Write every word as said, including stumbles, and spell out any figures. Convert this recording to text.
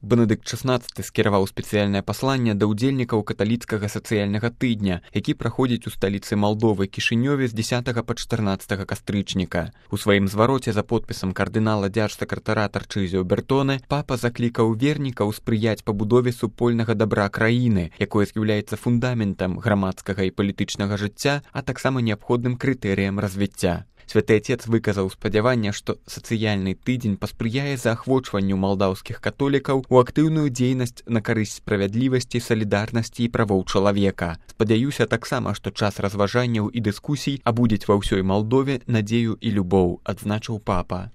Бенедыкт шаснаццаты скіраваў спецыяльнае пасланне да ўдзельнікаў каталіцкага сацыяльнага тыдня, які праходзіць у сталіцы Малдовы Кішынёве з дзесятага па чатырнаццатага кастрычніка. У сваім звароце за подпісам кардынала дзяржсакратара Тарчызіо Бертоне папа заклікаў вернікаў спрыяць пабудове супольнага дабра краіны, якое з'яўляецца фундаментам грамадскага і палітычнага жыцця, а таксама неабходным крытэрыям развіцця. Святы Отец выказаў спадзяванне, што сацыяльны тыдзень паспрыяе заахвочванню малдаўскіх католікаў у актыўную дзейнасць на карысць справядлівасці, салідарнасці і правоў чалавека. Спадзяюся таксама, што час разважанняў і дыскусій абудзіць ва ўсёй Малдове надзею і любоў, адзначыў папа.